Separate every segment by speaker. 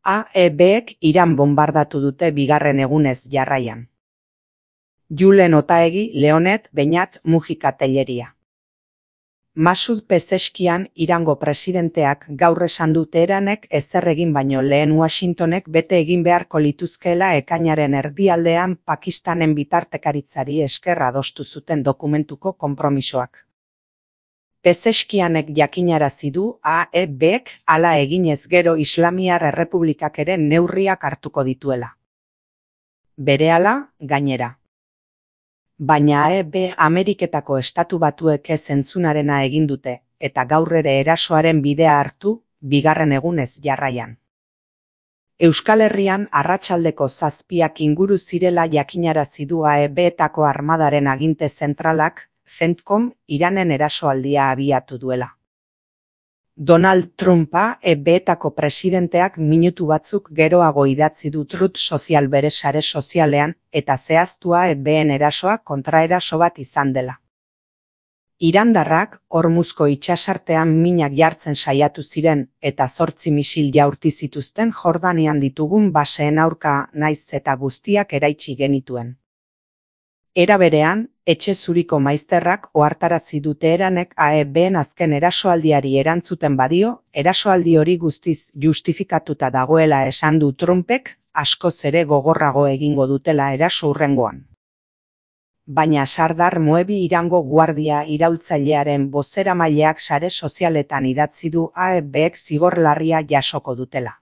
Speaker 1: AEBek Iran bombardatu dute bigarren egunez jarraian. Julen Otaegi, Leonet, Beñat, Mujika Telleria. Masud Pezeskian Irango presidenteak gaur esan du Teheranek ezer egin baino lehen Washingtonek bete egin beharko lituzkeela ekainaren erdialdean Pakistanen bitartekaritzari esker adostu zuten dokumentuko konpromisoak. Pezeskianek jakinarazi du AEBek hala eginez gero Islamiar Errepublikak ere neurriak hartuko dituela. Berehala, gainera. Baina AEB Ameriketako Estatu Batuek ez entzunarena egin dute, eta gaur ere erasoaren bidea hartu, bigarren egunez jarraian. Euskal Herrian arratsaldeko 7 inguru zirela jakinarazi du AEB-etako armadaren aginte zentralak, CENTCOM, Iranen erasoaldia abiatu duela. Donald Trump AEB-etako presidenteak minutu batzuk geroago idatzi du Truth Social bere sare sozialean eta zehaztu AEB-en erasoa kontraeraso bat izan dela. Irandarrak Hormuzko itsasartean minak jartzen saiatu ziren eta 8 misil jaurti zituzten Jordanian ditugun baseen aurka naiz eta guztiak eraitsi genituen. Era berean, Etxe Zuriko maizterrak ohartarazi du Teheranek AEB-en azken erasoaldiari erantzuten badio, erasoaldi hori guztiz justifikatuta dagoela esan du Trumpek, askoz ere gogorrago egingo dutela eraso hurrengoan. Baina Sardar Moebi Irango guardia iraultzailearen bozeramaileak sare sozialetan idatzi du AEB-ek zigor larria jasoko dutela.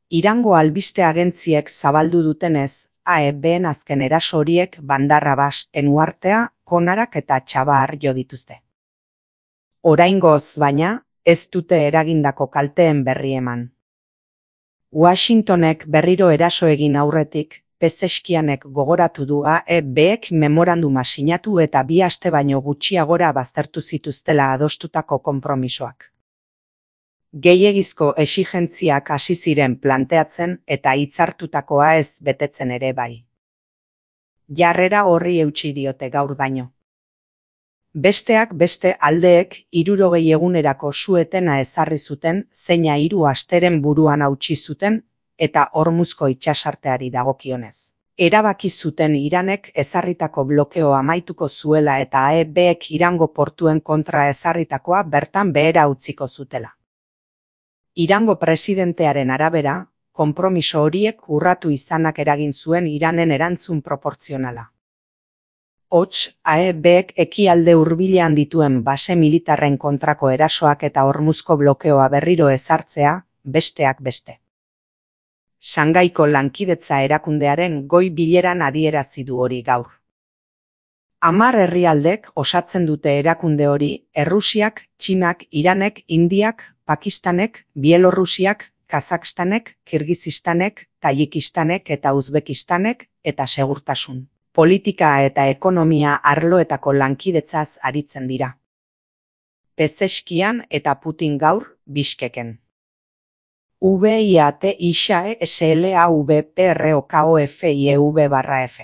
Speaker 1: Irango albiste agentziek zabaldu dutenez, AEB-en azken eraso horiek Bandar Abbas, Uhartea, Konarak eta Txabar jo dituzte. Oraingoz, baina, ez dute eragindako kalteen berri eman. Washingtonek berriro eraso egin aurretik, Pezeskianek gogoratu du AEB-ek memoranduma sinatu eta 2 aste baino gutxiagora baztertu zituztela adostutako konpromisoak. Gehiegizko exigentziak hasi ziren planteatzen eta hitzartutakoa ez betetzen ere bai. Jarrera horri eutsi diote gaur daino. Besteak beste aldeek 60 egunerako su-etena ezarri zuten zeina 3 asteren buruan hautsi zuten eta Hormuzko itsasarteari dagokionez. Erabaki zuten Iranek ezarritako blokeoa amaituko zuela eta AEB-ek Irango portuen kontra ezarritakoa bertan behera utziko zutela. Irango presidentearen arabera, konpromiso horiek urratu izanak eragin zuen Iranen erantzun proportzionala. Hots, AEB-ek ekialde hurbilean dituen base militarren kontrako erasoak eta Hormuzko blokeoa berriro ezartzea, besteak beste. Shangaiko lankidetza erakundearen goi bileran adierazi du hori gaur. 10 herrialdek osatzen dute erakunde hori, Errusiak, Txinak, Iranek, Indiak, Pakistanek, Bielorrusiak, Kazakstanek, Kirgizistanek, Tajikistanek eta Uzbekistanek eta segurtasun, politika eta ekonomia arloetako lankidetzaz aritzen dira. Pezeskian eta Putin gaur, Bishkeken. VIAT ISAE SLAVPROKOFIEV/F.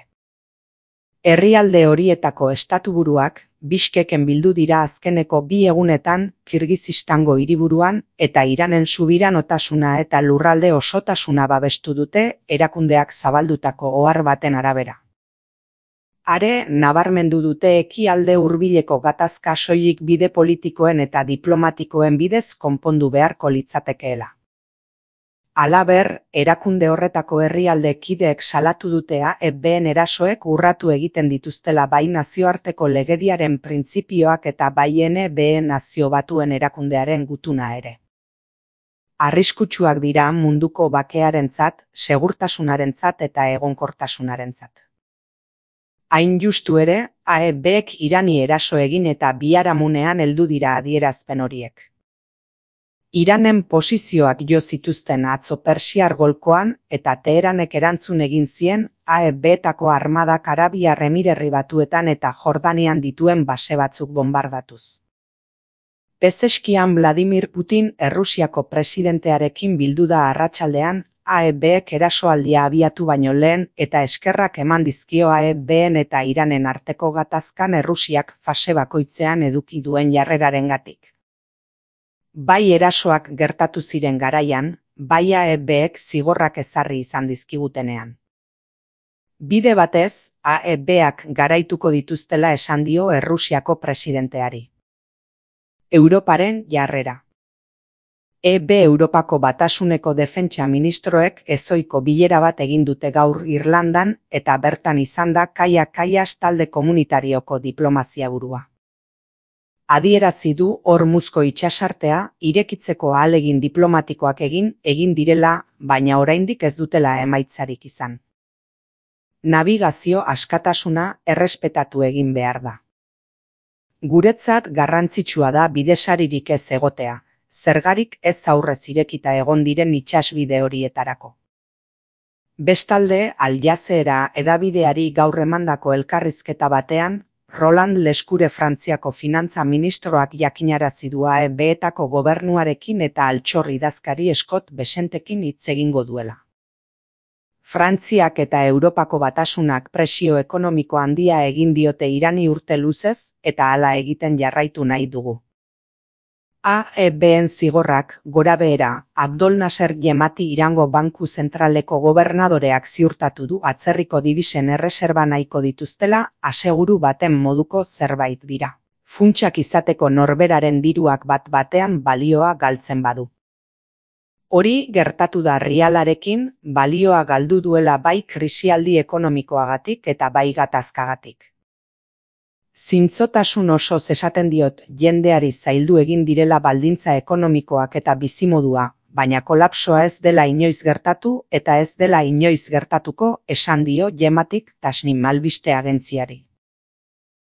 Speaker 1: Herrialde horietako estatuburuak Bishkeken bildu dira azkeneko 2 egunetan Kirgizistango hiriburuan eta Iranen subiranotasuna eta lurralde osotasuna babestu dute erakundeak zabaldutako ohar baten arabera. Are nabarmendu dute ekialde hurbileko gatazka soilik bide politikoen eta diplomatikoen bidez konpondu beharko litzatekeela. Halaber, erakunde horretako herrialde kideek salatu dute AEB-en erasoek urratu egiten dituztela bai nazioarteko legediaren printzipioak eta bai NBE Nazio Batuen erakundearen gutuna ere. Arriskutsuak dira munduko bakearentzat, segurtasunarentzat eta egonkortasunarentzat. Hain justu ere, AEB-ek Irani eraso egin eta biharamunean heldu dira adierazpen horiek. Iranen posizioak jo zituzten atzo Persiar golkoan eta Teheranek erantzun egin zien AEB-etako armadak Arabiar Emirerri Batuetan eta Jordanian dituen base batzuk bombardatuz. Pezeskian Vladimir Putin Errusiako presidentearekin bildu da arratsaldean AEB-ek erasoaldia abiatu baino lehen eta eskerrak eman dizkio AEB-en eta Iranen arteko gatazkan Errusiak fase bakoitzean eduki duen jarrerarengatik. Bai erasoak gertatu ziren garaian, bai AEBek zigorrak ezarri izan dizkigutenean. Bide batez, AEBak garaituko dituztela esan dio Errusiako presidenteari. Europaren jarrera. EB Europako Batasuneko defentsa ministroek ezohiko bilera bat egin dute gaur Irlandan eta bertan izan da Kaia Kallas talde komunitarioko diplomazia burua. Adierazi du Hormuzko itsasartea irekitzeko ahalegin diplomatikoak egin direla, baina oraindik ez dutela emaitzarik izan. Nabigazio askatasuna errespetatu egin behar da. Guretzat garrantzitsua da bidesaririk ez egotea, zergarik ez aurrez irekita egon diren itsasbide horietarako. Bestalde, Al Jazeera hedabideari gaur emandako elkarrizketa batean, Roland Lescure Frantziako finantza ministroak jakinarazi du AEBetako gobernuarekin eta altxor idazkari Scott Bessentekin hitz egingo duela. Frantziak eta Europako Batasunak presio ekonomiko handia egin diote Irani urte luzez eta hala egiten jarraitu nahi dugu. AEBen zigorrak, gorabehera, Abdol Nasser Jemati Irango Banku Zentraleko gobernadoreak ziurtatu du atzerriko dibisen erreserba nahiko dituztela aseguru baten moduko zerbait dira. Funtsak izateko norberaren diruak bat-batean balioa galtzen badu. Hori gertatu da rialarekin, balioa galdu duela bai krisialdi ekonomikoagatik eta bai gatazkagatik. Zintzotasun osoz esaten diot jendeari zaildu egin direla baldintza ekonomikoak eta bizimodua, baina kolapsoa ez dela inoiz gertatu eta ez dela inoiz gertatuko esan dio Jematik Tasnim albiste agentziari.